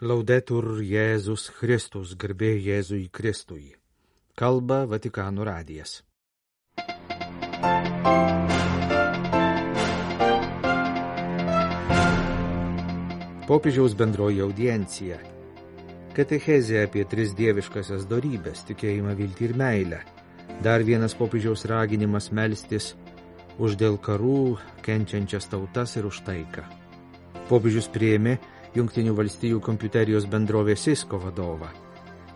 Laudetur Jėzus Kristus, garbė Jėzui Kristui. Kalba Vatikano radijas. Popiežiaus bendroji audiencija. Katechezė apie tris dieviškasias dorybes, tikėjimą, viltį ir meilę. Dar vienas popiežiaus raginimas melstis už dėl karų kenčiančias tautas ir už taiką. Popiežius priėmė Jungtinių valstijų kompiuterijos bendrovės Cisco vadovą.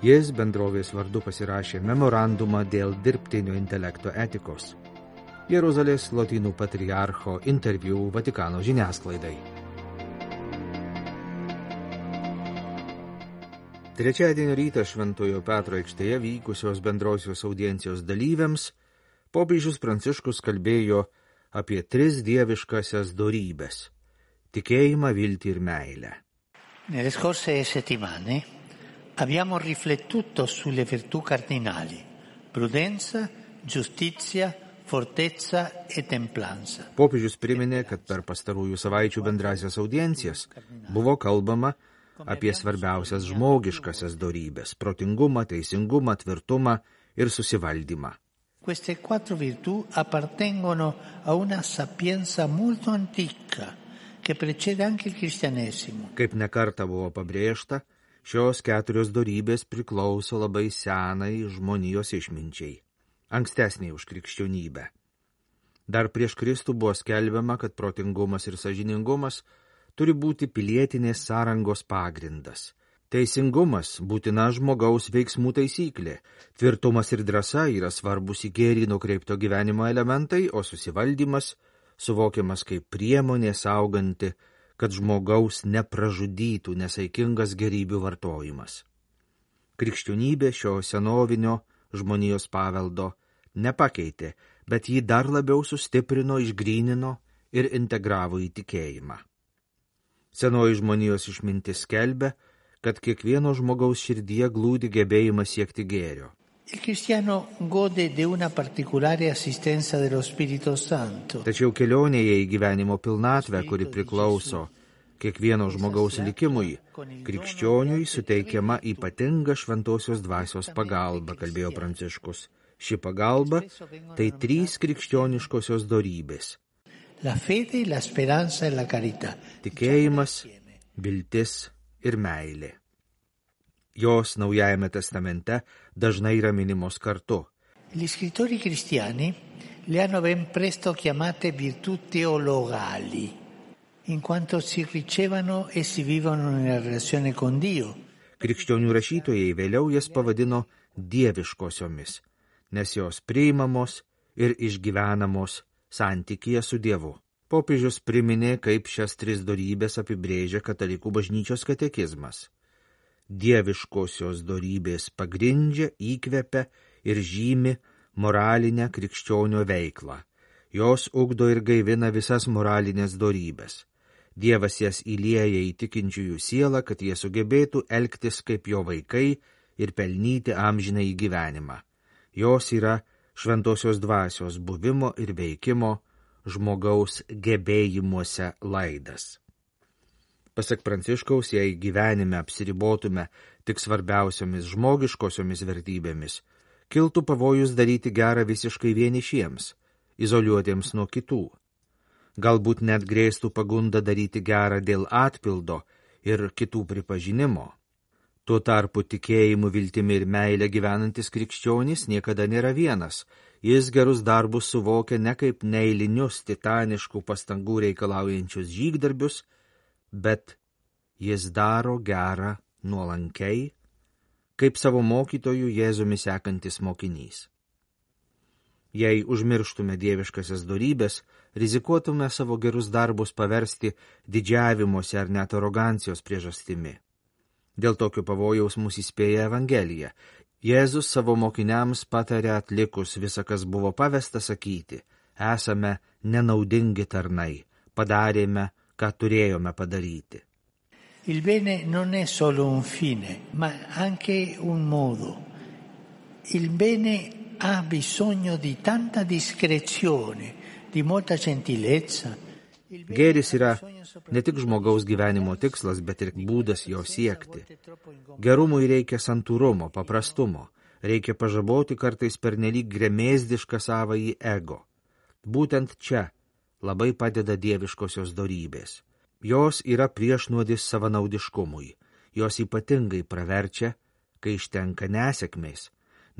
Jis bendrovės vardu pasirašė memorandumą dėl dirbtinio intelekto etikos. Jeruzalės lotynų patriarcho interviu Vatikano žiniasklaidai. Trečiadienio rytą Šventojo Petro aikštėje vykusios bendrosios audiencijos dalyviams popiežius Pranciškus kalbėjo apie tris dieviškasias dorybes – tikėjimą, viltį ir meilę. Nelle scorse settimane abbiamo riflettuto sulle virtù cardinali: prudenza, giustizia, fortezza e templanza. Popiežius priminė, kad per pastarųjų savaičių bendrasias audiencijas buvo kalbama apie svarbiausias žmogiškasias dorybes – protingumą, teisingumą, tvirtumą ir susivaldymą. Queste quattro virtù appartengono a una sapienza molto antica che precede anche il cristianesimo. Kaip nekartą buvo pabrėžta, šios keturios dorybės priklauso labai senai žmonijos išminčiai, ankstesniai už krikščionybę. Dar prieš Kristų buvo skelbiama, kad protingumas ir sąžiningumas turi būti pilietinės sąrangos pagrindas. Teisingumas būtina žmogaus veiksmų taisyklė, tvirtumas ir drąsa yra svarbus į gėrį nukreipto gyvenimo elementai, o susivaldymas suvokiamas kaip priemonė sauganti, kad žmogaus nepražudytų nesaikingas gerybių vartojimas. Krikščionybė šio senovinio žmonijos paveldo nepakeitė, bet jį dar labiau sustiprino, išgrynino ir integravo į tikėjimą. Senoji žmonijos išmintis skelbia, kad kiekvieno žmogaus širdyje glūdi gebėjimas siekti gėrio. Il cristiano gode di una particolare assistenza dello Spirito Santo. Tačiau kelionėje į gyvenimo pilnatvę, kuri priklauso kiekvieno žmogaus likimui, krikščioniui suteikiama ypatinga šventosios dvasios pagalba, kalbėjo Pranciškus. Ši pagalba tai trys krikščioniškosios dorybės. La fede, la speranza e la carità. Tikėjimas, viltis ir meilė. Jos Naujajame testamente dažnai yra minimos kartu. Gli scrittori cristiani le hanno ben presto chiamate virtù teologali, in quanto si ricevono e si vivono nella relazione con Dio. Krikščionių rašytojai vėliau jas pavadino dieviškosiomis, nes jos priimamos ir išgyvenamos santykyje su Dievu. Popiežius priminė, kaip šias tris dorybės apibrėžia katalikų bažnyčios katekizmas. Dieviškosios dorybės pagrindžia, įkvepia ir žymi moralinę krikščionio veiklą. Jos ugdo ir gaivina visas moralinės dorybės. Dievas jas įlieja į tikinčiųjų sielą, kad jie sugebėtų elgtis kaip jo vaikai ir pelnyti amžiną į gyvenimą. Jos yra šventosios dvasios buvimo ir veikimo žmogaus gebėjimuose laidas. Pasak Pranciškaus, jei gyvenime apsiribotume tik svarbiausiomis žmogiškosiomis vertybėmis, kiltų pavojus daryti gerą visiškai vienišiems, izoliuotiems nuo kitų. Galbūt net grėstų pagunda daryti gerą dėl atpildo ir kitų pripažinimo. Tuo tarpu tikėjimu, viltimi ir meilė gyvenantis krikščionis niekada nėra vienas. Jis gerus darbus suvokia ne kaip neeilinius titaniškų pastangų reikalaujančius žygdarbius, bet jis daro gerą nuolankiai, kaip savo mokytojų Jėzumi sekantis mokinys. Jei užmirštume dieviškasias dorybės, rizikuotume savo gerus darbus paversti didžiavimuose ar net arogancijos priežastimi. Dėl tokio pavojaus mus įspėja Evangelija. Jėzus savo mokiniams patarė atlikus visą, kas buvo pavesta sakyti: esame nenaudingi tarnai, padarėme, ką turėjome padaryti. Il bene non è solo un fine, ma anche un modo. Il bene ha bisogno di tanta discrezione, di molta gentilezza Gėris yra ne tik žmogaus gyvenimo tikslas, bet ir būdas jo siekti. Gerumui reikia santūrumo, paprastumo, reikia pažaboti kartais pernelyg gremėzdišką savąjį ego. Būtent čia labai padeda dieviškosios dorybės. Jos yra priešnuodis savanaudiškumui, jos ypatingai praverčia, kai ištenka nesėkmės.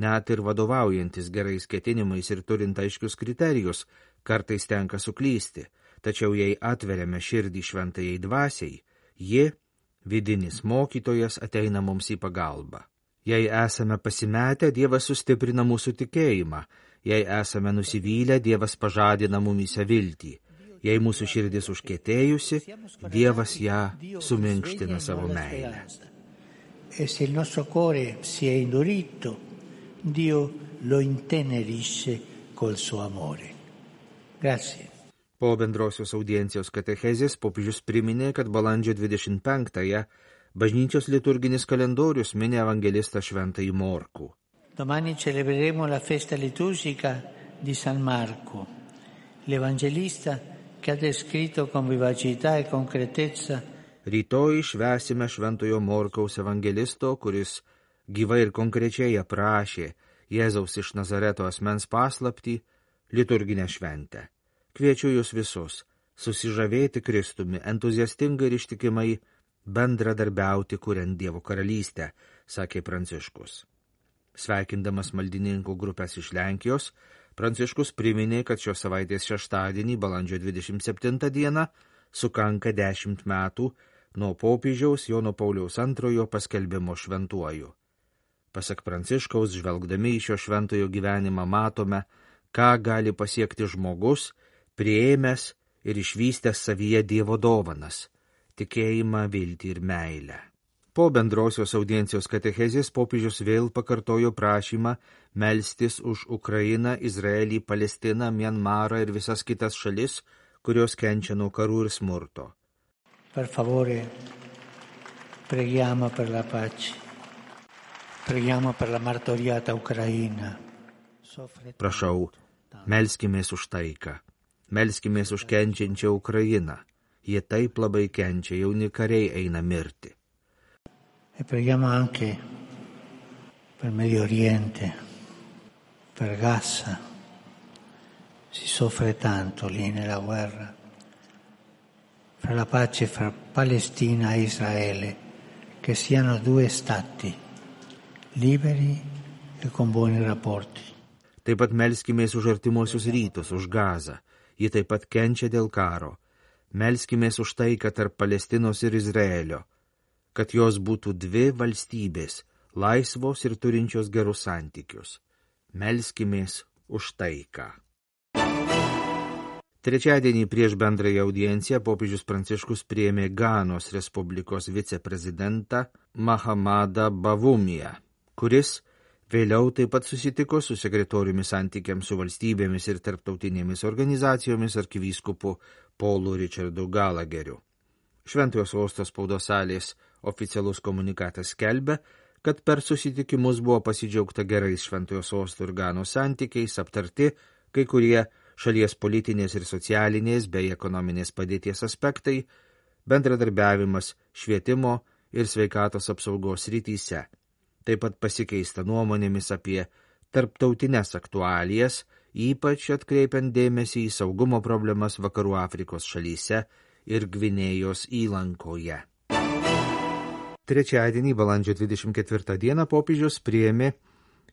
Net ir vadovaujantis gerais ketinimais ir turint aiškius kriterijus, kartais tenka suklysti. Tačiau jei atveriame širdį šventajai dvasiai, ji, vidinis mokytojas, ateina mums į pagalbą. Jei esame pasimetę, Dievas sustiprina mūsų tikėjimą. Jei esame nusivylę, Dievas pažadina mumyse viltį. Jei mūsų širdis užkietėjusi, Dievas ją suminkština savo meilę. E se il nostro cuore si è indurito, Dio lo intenerisce col suo amore. Grazie. Po bendrosios audiencijos katechezės popiežius priminė, kad balandžio 25-ąją bažnyčios liturginis kalendorius mini evangelistą šventąjį Morkų. Domani celebreremo la festa liturgica di San Marco, l'evangelista che ha descritto con vivacità e concretezza. Rytoj švęsime šventojo Morkaus evangelisto, kuris gyvai ir konkrečiai aprašė Jėzaus iš Nazareto asmens paslaptį, liturginę šventę. Kviečiu jūs visus susižavėti Kristumi, entuziastingai ir ištikimai bendradarbiauti, kuriant Dievo karalystę, sakė Pranciškus. Sveikindamas maldininkų grupės iš Lenkijos, Pranciškus priminė, kad šios savaitės šeštadienį, balandžio 27 dieną, sukanka 10 metų nuo popiežiaus Jono Pauliaus II paskelbimo šventuoju. Pasak Pranciškaus, žvelgdami į šio šventojo gyvenimą matome, ką gali pasiekti žmogus, priėmęs ir išvystęs savyje Dievo dovanas – tikėjimą, viltį ir meilę. Po bendrosios audiencijos katechezės popiežius vėl pakartojo prašymą melstis už Ukrainą, Izraelį, Palestiną, Mianmarą ir visas kitas šalis, kurios kenčia nuo karų ir smurto. Per favore, preghiamo per la pace. Preghiamo per la martoriata Ucraina. Prašau, melskimės už taiką. Melskimės už kenčiančią Ukrainą. Jie taip labai kenčia, jauni kariai eina mirti. E preghiamo anche per Medio Oriente, per Gaza. Si soffre tanto lì nella guerra. Per la pace fra Palestina e Israele, che siano due stati liberi e con buoni rapporti. Taip pat melskimės už artimuosius rytus, už Gazą. Ji taip pat kenčia dėl karo. Melskimės už taiką tarp Palestinos ir Izraelio, kad jos būtų dvi valstybės, laisvos ir turinčios gerus santykius. Melskimės už taiką. Trečiadienį prieš bendrąją audienciją popiežius Pranciškus priėmė Ganos Respublikos viceprezidentą Mahamadą Bavumiją, kuris vėliau taip pat susitiko su sekretoriumi santykiams su valstybėmis ir tarptautinėmis organizacijomis arkivyskupu Paulu Richardu Gallagheriu. Šventojo sosto spaudos salės oficialus komunikatas skelbia, kad per susitikimus buvo pasidžiaugta gerais Šventojo sosto ir Ganos santykiais, aptarti kai kurie šalies politinės ir socialinės bei ekonominės padėties aspektai, bendradarbiavimas švietimo ir sveikatos apsaugos srityse. Taip pat pasikeista nuomonėmis apie tarptautines aktualijas, ypač atkreipiant dėmesį į saugumo problemas Vakarų Afrikos šalyse ir Gvinėjos įlankoje. Trečiadienį, balandžio 24 dieną, popiežius priėmė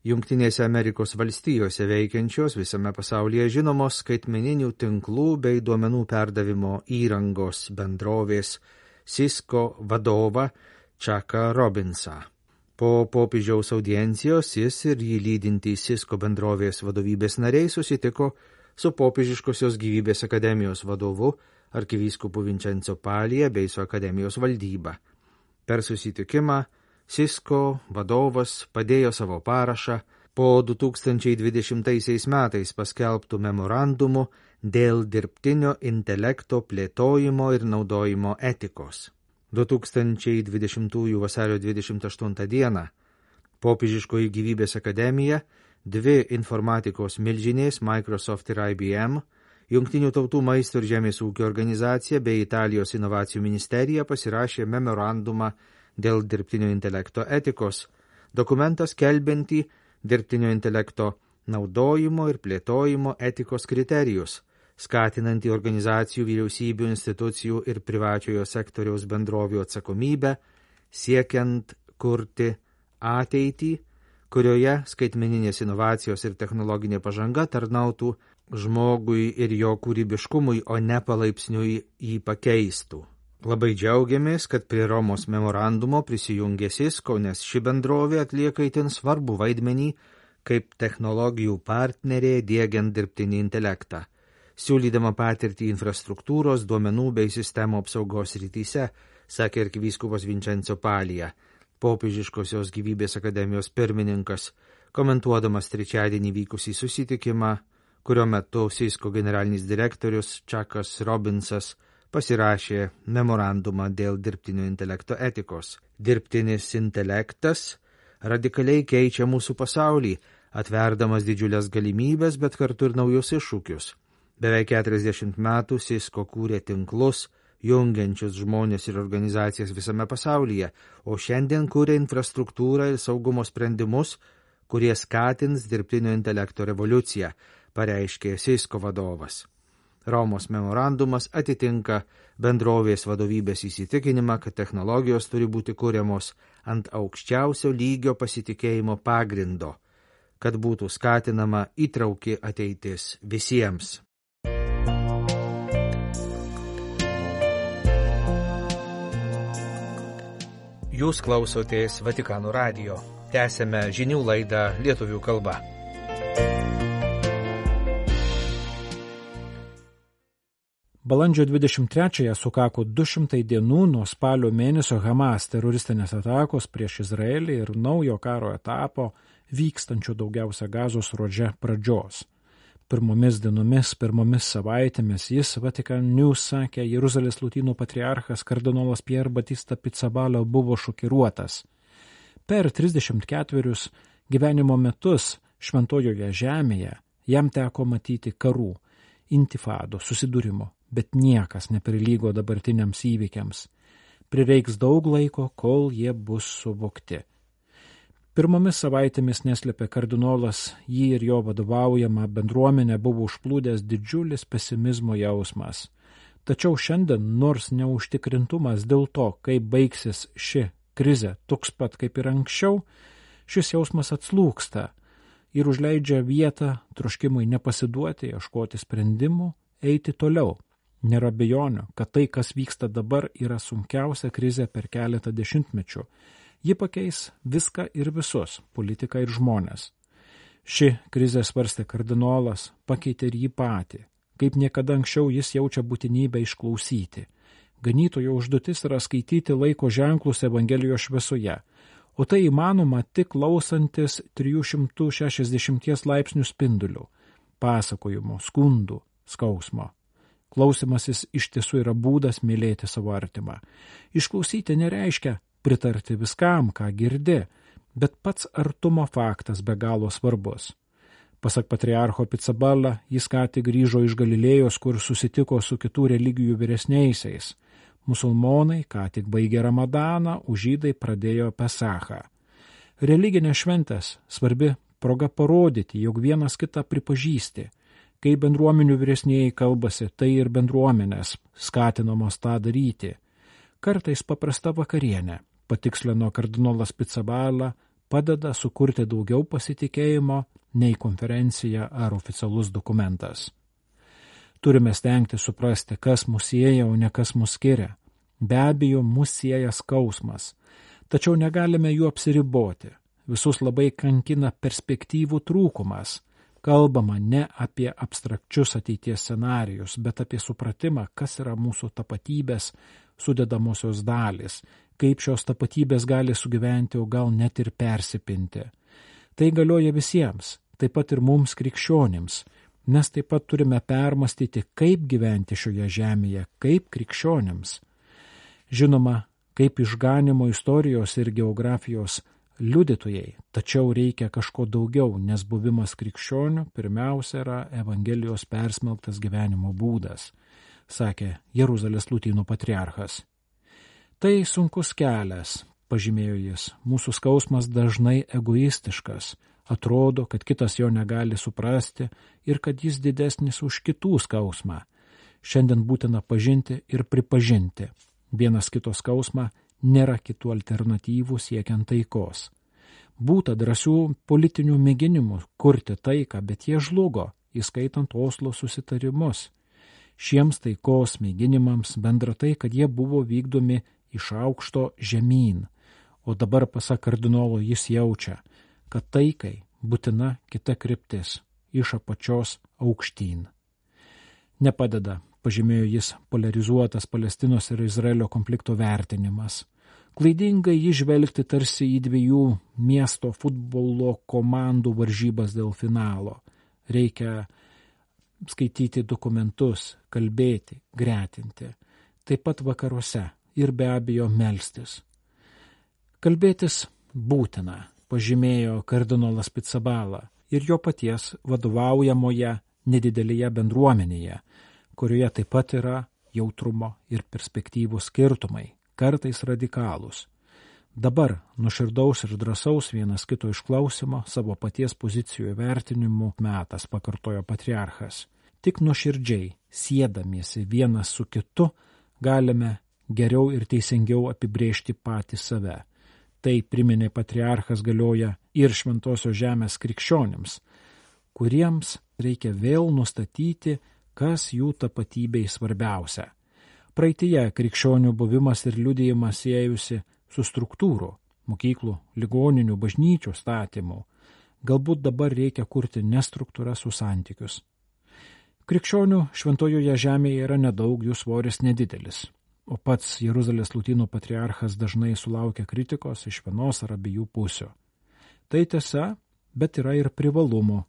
Jungtinėse Amerikos valstijose veikiančios visame pasaulyje žinomos skaitmeninių tinklų bei duomenų perdavimo įrangos bendrovės Cisco vadovą Chucką Robbinsą. Po popiežiaus audiencijos jis ir jį lydintys Cisco bendrovės vadovybės nariai susitiko su Popiežiškosios gyvybės akademijos vadovu arkivyskupu Vincenzo Palija bei su akademijos valdyba. Per susitikimą Cisco vadovas padėjo savo parašą po 2020 metais paskelbtų memorandumų dėl dirbtinio intelekto plėtojimo ir naudojimo etikos. 2020 vasario 28 dieną Popiežiškoji gyvybės akademija, dvi informatikos milžinės Microsoft ir IBM Jungtinių tautų maisto ir žemės ūkio organizacija bei Italijos inovacijų ministerija pasirašė memorandumą dėl dirbtinio intelekto etikos, dokumentas skelbiantį dirbtinio intelekto naudojimo ir plėtojimo etikos kriterijus, skatinantį organizacijų, vyriausybių, institucijų ir privačiojo sektoriaus bendrovių atsakomybę, siekiant kurti ateitį, kurioje skaitmeninės inovacijos ir technologinė pažanga tarnautų žmogui ir jo kūrybiškumui, o ne palaipsniui jį pakeistų. Labai džiaugiamės, kad prie Romos memorandumo prisijungė Cisco, nes ši bendrovė atlieka itin svarbų vaidmenį kaip technologijų partnerė diegiant dirbtinį intelektą, siūlydama patirtį infrastruktūros, duomenų bei sistemų apsaugos rytyse, sakė arkivyskupas Vincenzo Palija, Popiežiškosios gyvybės akademijos pirmininkas, komentuodamas trečiadienį vykusį susitikimą, kurio metu Cisco generalinis direktorius Chuckas Robinsas pasirašė memorandumą dėl dirbtinio intelekto etikos. Dirbtinis intelektas radikaliai keičia mūsų pasaulį, atverdamas didžiulės galimybės, bet kartu ir naujus iššūkius. Beveik 40 metų Cisco kūrė tinklus, jungiančius žmonės ir organizacijas visame pasaulyje, o šiandien kūrė infrastruktūrą ir saugumo sprendimus, kurie skatins dirbtinio intelekto revoliuciją, pareiškė Cisco vadovas. Romos memorandumas atitinka bendrovės vadovybės įsitikinimą, kad technologijos turi būti kuriamos ant aukščiausio lygio pasitikėjimo pagrindo, kad būtų skatinama įtrauki ateitis visiems. Jūs klausotės Vatikano radijo. Tęsėme žinių laidą lietuvių kalba. Balandžio 23-ąją sukako 200 dienų nuo spalio mėnesio Hamas teroristinės atakos prieš Izraelį ir naujo karo etapo vykstančio daugiausia Gazos ruože pradžios. Pirmomis dienomis, pirmomis savaitėmis jis Vatican News sakė, Jeruzalės lotynų patriarchas kardinolas Pier Batista Pizzaballa buvo šokiruotas. Per 34 gyvenimo metus šventojoje žemėje jam teko matyti karų, intifado, susidūrimo, bet niekas neprilygo dabartiniams įvykiams. Prireiks daug laiko, kol jie bus suvokti. Pirmomis savaitėmis neslėpė kardinolas, jį ir jo vadovaujama bendruomenė buvo užplūdęs didžiulis pesimizmo jausmas. Tačiau šiandien, nors neužtikrintumas dėl to, kaip baigsis ši krizė toks pat kaip ir anksčiau, šis jausmas atslūgsta ir užleidžia vietą troškimui nepasiduoti, ieškoti sprendimų, eiti toliau. Nėra abejonių, kad tai, kas vyksta dabar, yra sunkiausia krizė per keletą dešimtmečių. Ji pakeis viską ir visus, politiką ir žmonės. Ši krizė, svarstė kardinolas, pakeitė ir jį patį. Kaip niekada anksčiau jis jaučia būtinybę išklausyti. Ganytojo užduotis yra skaityti laiko ženklus Evangelijos šviesoje, o tai įmanoma tik klausantis 360 laipsnių spindulių, pasakojimų, skundų, skausmo. Klausimasis iš tiesų yra būdas mylėti savo artimą. Išklausyti nereiškia pritarti viskam, ką girdi, bet pats artumo faktas be galo svarbus. Pasak patriarcho Pizzaballa, jis ką tik grįžo iš Galilėjos, kur susitiko su kitų religijų vyresniaisiais. Musulmonai ką tik baigė Ramadaną, o žydai pradėjo Pesachą. Religinės šventės svarbi proga parodyti, jog vienas kitą pripažįsti. Kai bendruomenių vyresnieji kalbasi, tai ir bendruomenės skatinamos tą daryti. Kartais paprasta vakarienė, patikslino kardinolas Pizzaballa, padeda sukurti daugiau pasitikėjimo nei konferencija ar oficialus dokumentas. Turime stengti suprasti, kas mus sieja, o ne kas mus skiria. Be abejo, mus sieja skausmas, tačiau negalime jų apsiriboti. Visus labai kankina perspektyvų trūkumas. Kalbama ne apie abstrakčius ateities scenarijus, bet apie supratimą, kas yra mūsų tapatybės sudedamosios dalys, kaip šios tapatybės gali sugyventi, o gal net ir persipinti. Tai galioja visiems, taip pat ir mums krikščionims, nes taip pat turime permastyti, kaip gyventi šioje žemėje, kaip krikščionims. Žinoma, kaip išganimo istorijos ir geografijos liudytojai, tačiau reikia kažko daugiau, nes buvimas krikščioniu pirmiausia yra Evangelijos persmelktas gyvenimo būdas, sakė Jeruzalės Lotynų patriarchas. Tai sunkus kelias, pažymėjo jis, mūsų skausmas dažnai egoistiškas, atrodo, kad kitas jo negali suprasti ir kad jis didesnis už kitų skausmą. Šiandien būtina pažinti ir pripažinti. Vienas kito skausmą nėra kitų alternatyvų siekiant taikos. Būta drąsių politinių mėginimų kurti taiką, bet jie žlugo, įskaitant Oslo susitarimus. Šiems taikos mėginimams bendra tai, kad jie buvo vykdomi iš aukšto žemyn, o dabar pasak kardinolo jis jaučia, kad taikai būtina kita kryptis, iš apačios aukštyn. Nepadeda, pažymėjo jis, polarizuotas Palestinos ir Izraelio konflikto vertinimas. Klaidingai įžvelgti tarsi į dviejų miesto futbolo komandų varžybas dėl finalo. Reikia skaityti dokumentus, kalbėti, gretinti. Taip pat vakaruose ir be abejo melstis. Kalbėtis būtina, pažymėjo kardinolas Pizzaballa ir jo paties vadovaujamoje nedidelėje bendruomenėje, kurioje taip pat yra jautrumo ir perspektyvų skirtumai, kartais radikalūs. Dabar nuoširdaus ir drąsaus vienas kito išklausimo savo paties pozicijų vertinimų metas, pakartojo patriarchas. Tik nuoširdžiai, siedamiesi vienas su kitu, galime geriau ir teisingiau apibrėžti patį save. Tai, priminė patriarchas, galioja ir šventosios žemės krikščionims, kuriems reikia vėl nustatyti, kas jų tapatybei svarbiausia. Praeityje krikščionių buvimas ir liudijimas siejusi su struktūrų, mokyklų, ligoninių, bažnyčių statymų. Galbūt dabar reikia kurti ne struktūras, o santykius. Krikščionių šventojoje žemėje yra nedaug, jų svoris nedidelis. O pats Jeruzalės Lotynų patriarchas dažnai sulaukia kritikos iš vienos ar abiejų pusių. Tai tiesa, bet yra ir privalumų.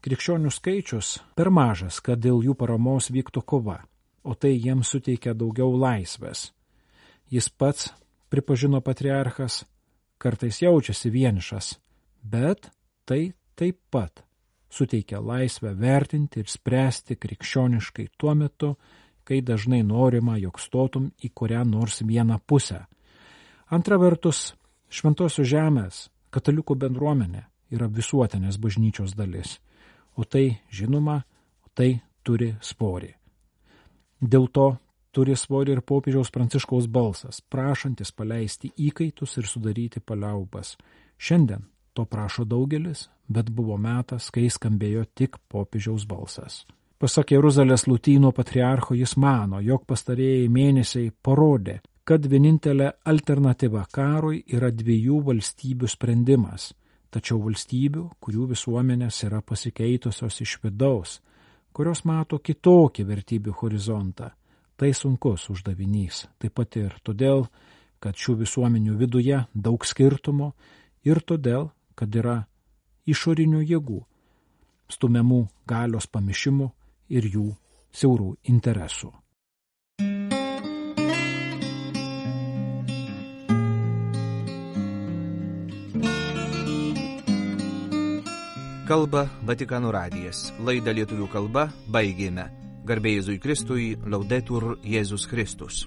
Krikščionių skaičius per mažas, kad dėl jų paramos vyktų kova, o tai jiems suteikia daugiau laisvės. Jis pats, pripažino patriarchas, kartais jaučiasi vienišas, bet tai taip pat suteikia laisvę vertinti ir spręsti krikščioniškai tuo metu, kai dažnai norima, jog stotum į kurią nors vieną pusę. Antra vertus, šventosios žemės katalikų bendruomenė yra visuotinės bažnyčios dalis, o tai, žinoma, tai turi svorį. Dėl to turi svorį ir popiežiaus Pranciškaus balsas, prašantis paleisti įkaitus ir sudaryti paliaubas. Šiandien to prašo daugelis, bet buvo metas, kai skambėjo tik popiežiaus balsas. Pasak Jeruzalės Lotynų patriarcho, jis mano, jog pastarieji mėnesiai parodė, kad vienintelė alternatyva karui yra dviejų valstybių sprendimas, tačiau valstybių, kurių visuomenės yra pasikeitusios iš vidaus, kurios mato kitokį vertybių horizontą. Tai sunkus uždavinys, taip pat ir todėl, kad šių visuomenių viduje daug skirtumų ir todėl, kad yra išorinių jėgų, stumiamų galios pamišimų ir jų siaurų interesų. Kalba Vatikano radijas. Laidą lietuvių kalba baigėme. Garbė Jėzui Kristui, Laudetur Jėzus Kristus.